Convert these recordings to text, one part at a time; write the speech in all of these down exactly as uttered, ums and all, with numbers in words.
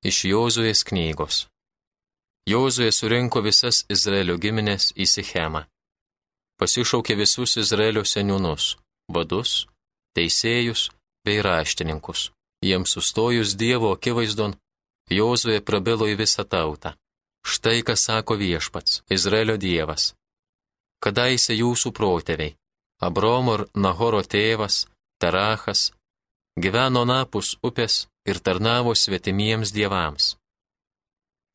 Iš Jozuės knygos. Jozuė surinko visas Izraelio giminės į Sichemą. Pasišaukė visus Izraelio seniūnus, vadus, teisėjus bei raštininkus. Jiems sustojus Dievo akivaizdon, Jozuė prabilo į visą tautą. Štai ką sako Viešpats, Izraelio Dievas. Kadaise jūsų protėviai, Abromo ir Nahoro tėvas, Terachas, gyveno napus upės ir tarnavo svetimiems dievams.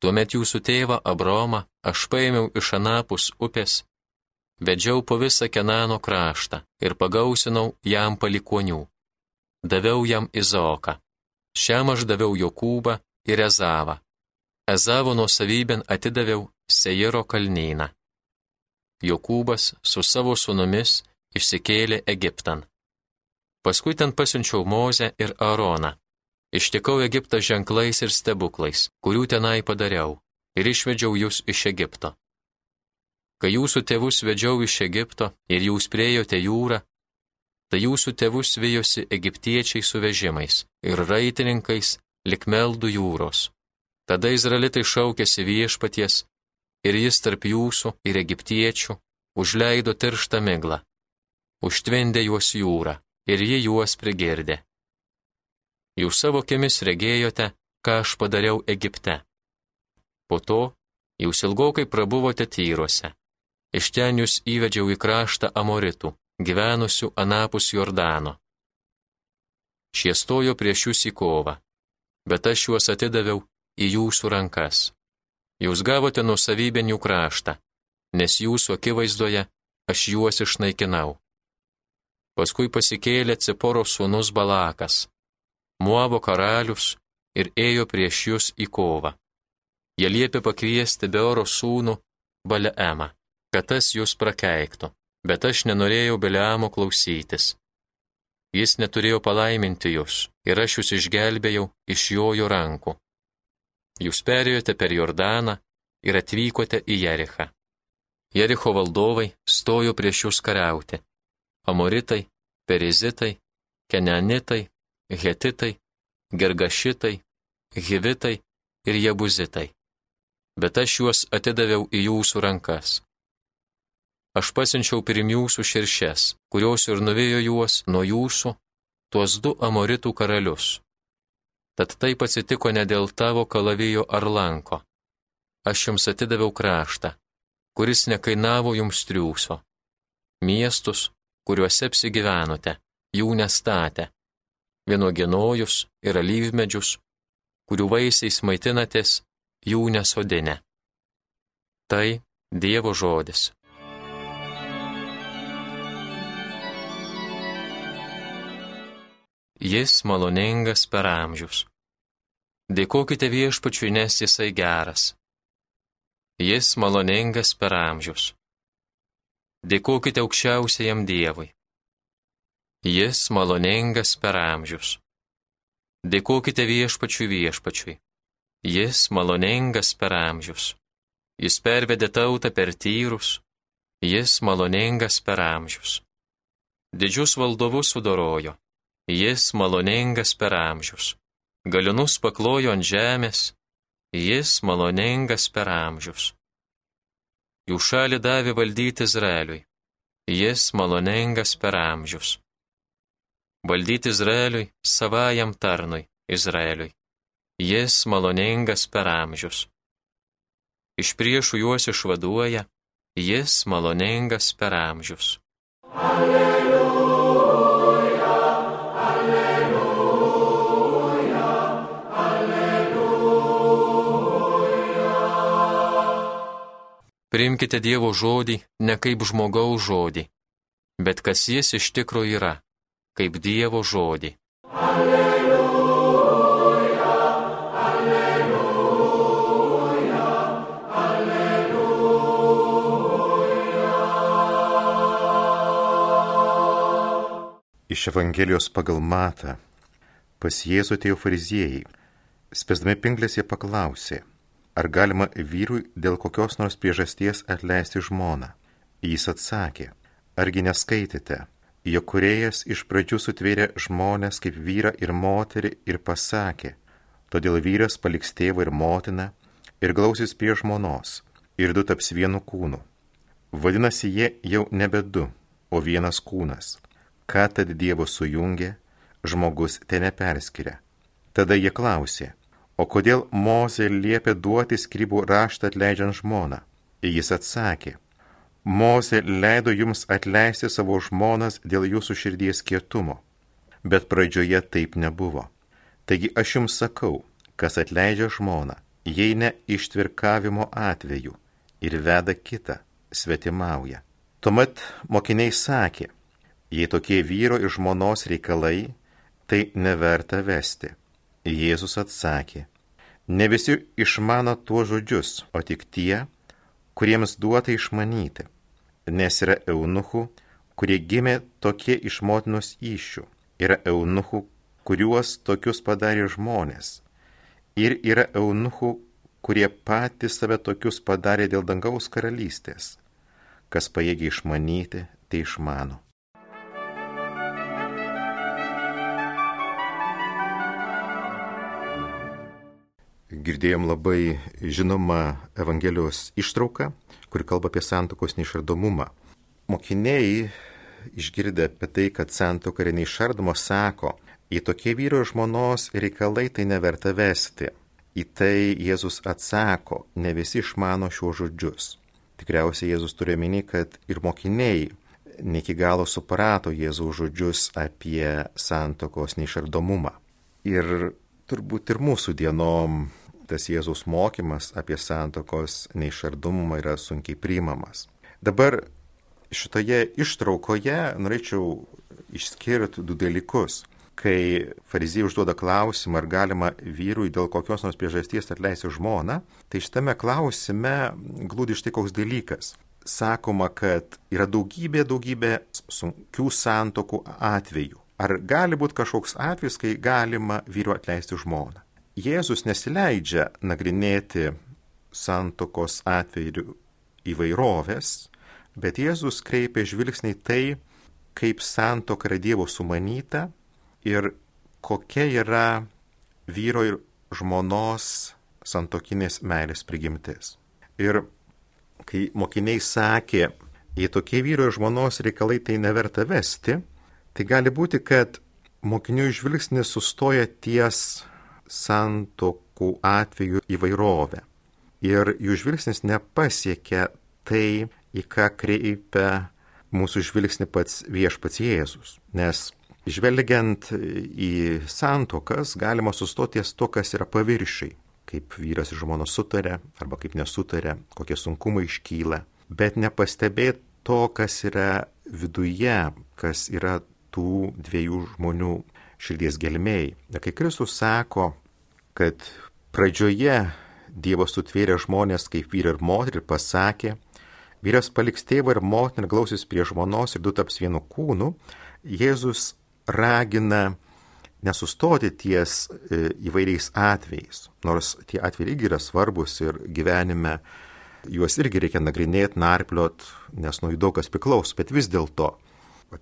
Tuomet jūsų tėvą Abromą aš paėmiau iš anapus upės, vedžiau po visą Kenano kraštą ir pagausinau jam palikonių. Daviau jam Izaoką. Šiam aš daviau Jokūbą ir Ezavą. Ezavo nuosavybėn atidaviau Seiro kalnyną. Jokūbas su savo sūnumis išsikėlė Egiptan. Paskui ten pasiunčiau Mozę ir Aaroną. Ištikau Egiptą ženklais ir stebuklais, kurių tenai padariau, ir išvedžiau jūs iš Egipto. Kai jūsų tėvus vedžiau iš Egipto ir jūs priejote jūrą, tai jūsų tėvus vijosi egiptiečiai su vežimais ir raitininkais lik meldų jūros. Tada izraelitai šaukėsi Viešpaties, ir jis tarp jūsų ir egiptiečių užleido tirštą miglą, užtvindė juos jūrą, ir ji juos prigirdė. Jūs savo akimis regėjote, ką aš padariau Egipte. Po to jūs ilgokai prabuvote Tyruose. Iš ten jūs įvedžiau į kraštą Amoritų, gyvenusių anapus Jordano. Šie stojo prieš jūs į kovą, bet aš juos atidaviau į jūsų rankas. Jūs gavote nuosavybėn jų kraštą, nes jūsų akivaizdoje aš juos išnaikinau. Paskui pasikėlė Ciporo sūnus Balakas, Moabo karalius, ir ėjo prieš jūs į kovą. Jie liepė pakviesti Beoro sūnų Baleemą, kad tas jūs prakeiktų, bet aš nenorėjau Baleamo klausytis. Jis neturėjo palaiminti jūs, ir aš jūs išgelbėjau iš jojo rankų. Jūs perėjote per Jordaną ir atvykote į Jerichą. Jericho valdovai stojo prieš jūs kariauti. Amoritai, Perizitai, Kenanitai, Hetitai, Gergašitai, Hivitai ir Jebuzitai. Bet aš juos atidaviau į jūsų rankas. Aš pasiunčiau pirm jūsų širšes, kurios ir nuvijo juos nuo jūsų, tuos du Amoritų karalius. Tad taip atsitiko ne dėl tavo kalavijo ar lanko. Aš jums atidaviau kraštą, kuris nekainavo jums triūso. Miestus, kuriuose apsigyvenote, jų nestatė. Vynuoginojus ir alyvmedžius, kurių vaisiais maitinatės, jų nesodinę. Tai Dievo žodis. Jis maloningas per amžius. Dėkokite Viešpačiui, nes jisai geras. Jis maloningas per amžius. Dėkokite aukščiausiajam Dievui. Jis maloningas per amžius. Dėkokite Viešpačiui Viešpačiui. Jis maloningas per amžius. Jis pervedė tautą per Tyrus. Jis maloningas per amžius. Didžius valdovus sudorojo. Jis maloningas per amžius. Galinus paklojo ant žemės. Jis maloningas per amžius. Jų šalį davė valdyti Izraeliui. Jis maloningas per amžius. Valdyti Izraeliui savajam tarnui Izraeliui. Jis maloningas per amžius. Iš priešų juos išvaduoja. Jis maloningas per amžius. Alleluja, alleluja, alleluja. Priimkite Dievo žodį ne kaip žmogaus žodį, bet kas jis iš tikro yra, kaip Dievo žodį. Alleluja, alleluja, alleluja. Iš Evangelijos pagal Matą. Pas Jėzų atėjo fariziejai. Spęsdami pinklės jie paklausė, ar galima vyrui dėl kokios nors priežasties atleisti žmoną. Jis atsakė, argi neskaitėte, jog Kūrėjas iš pradžių sutvėrė žmones kaip vyrą ir moterį ir pasakė, Todėl vyras paliks tėvą ir motiną ir glausis prie žmonos, ir du taps vienu kūnu. Vadinasi, jie jau nebe du, o vienas kūnas. Ką tad Dievo sujungė, žmogus te neperskiria. Tada jie klausė, o kodėl Mozė liepė duoti skrybų raštą atleidžiant žmoną? Jis atsakė, Mozė leido jums atleisti savo žmonas dėl jūsų širdies kietumo, bet pradžioje taip nebuvo. Taigi aš jums sakau, kas atleidžia žmoną, jei ne ištvirkavimo atveju ir veda kitą, svetimauja. Tuomet mokiniai sakė, jei tokie vyro ir žmonos reikalai, tai neverta vesti. Jėzus atsakė, ne visi išmano tuos žodžius, o tik tie, kuriems duota išmanyti, nes yra eunuchų, kurie gimė tokie iš motinos įsčių, yra eunuchų, kuriuos tokius padarė žmonės, ir yra eunuchų, kurie patys save tokius padarė dėl dangaus karalystės. Kas pajėgia išmanyti, tai išmano. Girdėjom labai žinomą Evangelijos ištrauką, kuri kalba apie santuokos neišardomumą. Mokiniai, išgirdę apie tai, kad santuoka yra neišardoma, sako, į tokie vyro ir žmonos reikalai tai neverta vesti. Į tai Jėzus atsako, ne visi išmano šiuos žodžius. Tikriausiai Jėzus turi omeny, kad ir mokiniai ne iki galo suprato Jėzaus žodžius apie santuokos neišardomumą. Ir turbūt ir mūsų dienom tas Jėzaus mokymas apie santuokos neišardomumą yra sunkiai priimamas. Dabar šitoje ištraukoje norėčiau išskirti du dalykus. Kai fariziejai užduoda klausimą, ar galima vyrui dėl kokios nors priežasties atleisti žmoną, tai šitame klausime glūdi štai koks dalykas. Sakoma, kad yra daugybė, daugybė sunkių santuokų atvejų. Ar gali būti kažkoks atvejis, kai galima vyrui atleisti žmoną? Jėzus nesileidžia nagrinėti santuokos atvejų įvairovės, bet Jėzus kreipia žvilgsnį tai, kaip santuoka yra Dievo sumanyta, ir kokia yra vyro ir žmonos santuokinės meilės prigimtis. Ir kai mokiniai sakė, jei tokie vyro ir žmonos reikalai tai neverta vesti, tai gali būti, kad mokinių žvilgsnis sustoja ties santuokų atveju įvairovę. Ir jų žvilgsnis nepasiekia tai, į ką kreipia mūsų žvilgsnį pats viešpats Jėzus. Nes žvelgiant į santuokas, galima sustoti ties to, kas yra paviršiai, kaip vyras ir žmona sutarė, arba kaip nesutarė, kokie sunkumai iškyla, bet nepastebėti to, kas yra viduje, kas yra tų dviejų žmonių širdies gelmėj. Kai Kristus sako, kad pradžioje Dievas sutvėrė žmonės kaip vyrą ir moterį ir pasakė, vyras paliks tėvą ir motiną ir glausis prie žmonos ir du taps vienu kūnu, Jėzus ragina nesustoti ties įvairiais atvejais, nors tie atvejai irgi yra svarbus ir gyvenime juos irgi reikia nagrinėti, narpliot, nes nuo jų daug kas priklauso, bet vis dėlto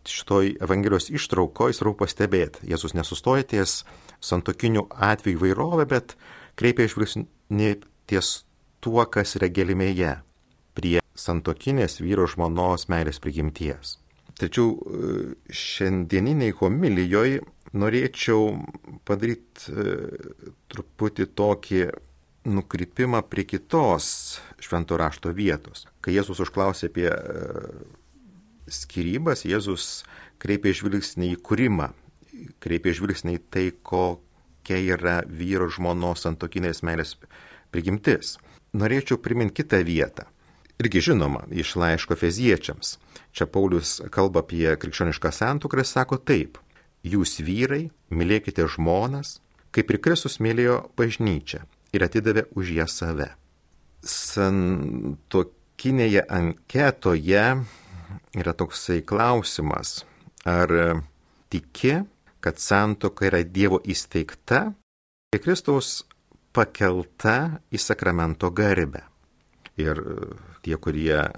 šitoj Evangelijos ištraukoje svarbu pastebėti, Jėzus nesustoja ties santuokinių atvejų įvairovę, bet kreipia žvilgsnį ties tuo, kas yra gelmėje, prie santuokinės vyro žmonos meilės prigimties. Tačiau šiandieniniai homilijoje norėčiau padaryti truputį tokį nukrypimą prie kitos švento rašto vietos. Kai Jėzus užklausė apie skyrybas, Jėzus kreipė žvilgsnį į kūrimą, kreipė žvilgsnį į tai, kokia yra vyro žmonos santuokinės meilės prigimtis. Norėčiau priminti kitą vietą. Irgi žinoma, iš laiško Efeziečiams. Čia Paulius kalba apie krikščionišką santuoką ir sako taip. Jūs vyrai, mylėkite žmonas, kaip ir Kristus mylėjo bažnyčią ir atidavė už ją save. Santuokinėje anketoje yra toksai klausimas, ar tiki, kad santuoka yra Dievo įsteigta ir Kristaus pakelta į sakramento garbę. Ir tie, kurie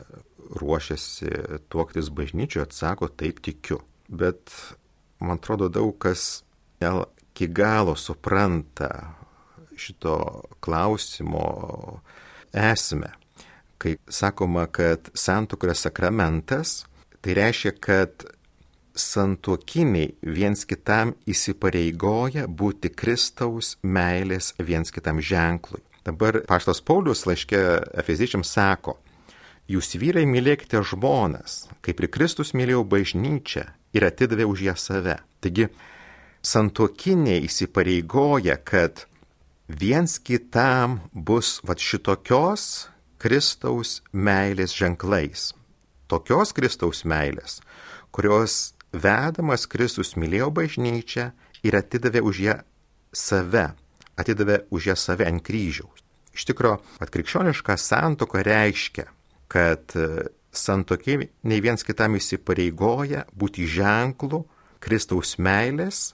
ruošiasi tuoktis bažnyčioje, atsako, taip tikiu. Bet man atrodo, daug kas ne iki galo supranta šito klausimo esmę. Kai sakoma, kad santuoka yra sakramentas, tai reiškia, kad santuokiniai viens kitam įsipareigoja būti Kristaus meilės viens kitam ženklui. Dabar apaštalas Paulius laiške Efeziečiams sako, jūs vyrai mylėkite žmonas, kaip ir Kristus mylėjo bažnyčią ir atidavė už ją save. Taigi, santuokiniai įsipareigoja, kad viens kitam bus vat šitokios Kristaus meilės ženklais. Tokios Kristaus meilės, kurios vedamas Kristus mylėjo bažnyčią ir atidavė už ją save, atidavė už ją save ant kryžiaus. Iš tikro, krikščioniška santuoka reiškia, kad santuokiniai viens kitam įsipareigoja būti ženklu Kristaus meilės,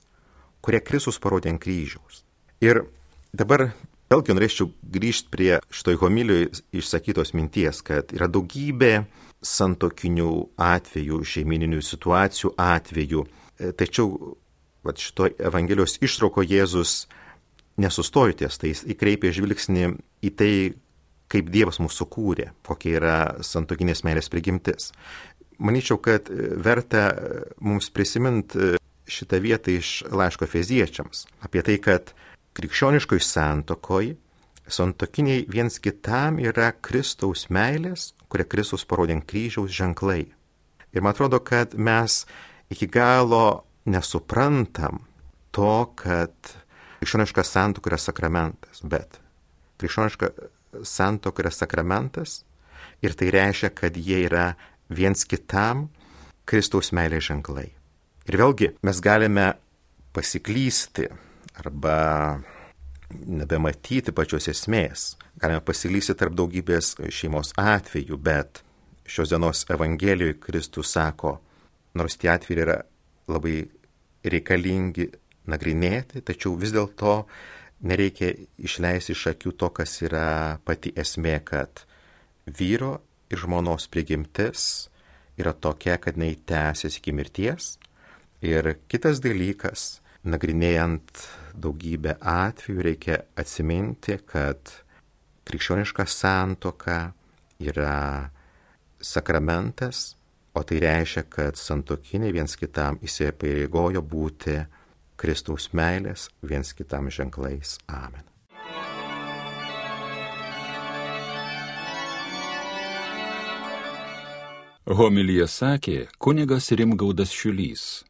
kurią Kristus parodė ant kryžiaus. Ir dabar vėlgi norėčiau grįžti prie šitoj homilijoje išsakytos minties, kad yra daugybė santuokinių atvejų, šeimininių situacijų atvejų. Tačiau vat šitoj Evangelijos ištrauko Jėzus nesustojo ties, tai jis įkreipė žvilgsnį į tai, kaip Dievas mūsų kūrė, kokia yra santuokinės meilės prigimtis. Manyčiau, kad verta mums prisiminti šitą vietą iš laiško Efeziečiams. Apie tai, kad krikščioniškoj santuokoj santuokiniai viens kitam yra Kristaus meilės, kurią Kristus parodė ant kryžiaus ženklai. Ir man atrodo, kad mes iki galo nesuprantam to, kad krikščioniška santuoka yra sakramentas, bet krikščioniška santuoka yra sakramentas ir tai reiškia, kad jie yra viens kitam Kristaus meilės ženklai. Ir vėlgi mes galime pasiklysti arba nebematyti pačios esmės. Galime pasiklysti tarp daugybės šeimos atvejų, bet šios dienos Evangelijoje Kristus sako, nors tie atvejai yra labai reikalingi nagrinėti, tačiau vis dėlto nereikia išleisti iš akių to, kas yra pati esmė, kad vyro ir žmonos prigimtis yra tokia, kad jinai tęsiasi iki mirties. Ir kitas dalykas, nagrinėjant daugybę atvejų, reikia atsiminti, kad krikščioniška santuoka yra sakramentas, o tai reiškia, kad santuokiniai viens kitam įsipareigojo būti Kristaus meilės viens kitam ženklais. Amen. Homiliją sakė kunigas Rimgaudas Šiulys.